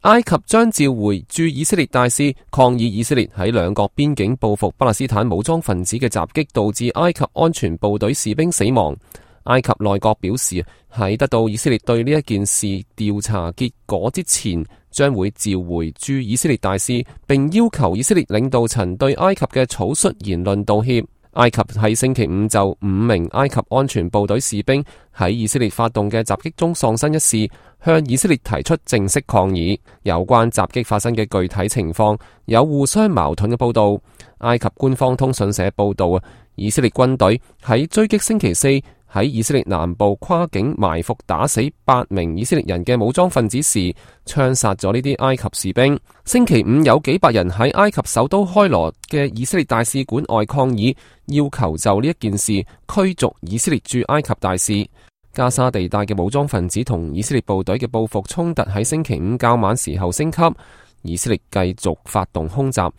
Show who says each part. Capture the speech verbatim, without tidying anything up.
Speaker 1: 埃及將召回駐以色列大使，抗議以色列喺兩國邊境報復巴勒斯坦武裝分子嘅襲擊，導致埃及安全部隊士兵死亡。埃及內閣表示，喺得到以色列對呢一件事調查結果之前，將會召回駐以色列大使，並要求以色列領導層對埃及嘅草率言論道歉。埃及喺星期五就五名埃及安全部隊士兵喺以色列發動嘅襲擊中喪生一事，向以色列提出正式抗議。有關襲擊發生嘅具體情況有互相矛盾嘅報道。埃及官方通訊社報道啊，以色列軍隊喺追擊星期四喺以色列南部跨境埋伏打死八名以色列人嘅武裝分子時，槍殺咗呢啲埃及士兵。星期五有幾百人喺埃及首都開羅嘅以色列大使館外抗議，要求就呢一件事驅逐以色列駐埃及大使。加沙地帶嘅武裝分子同以色列部隊嘅報復衝突喺星期五較晚時候升級，以色列繼續發動空襲，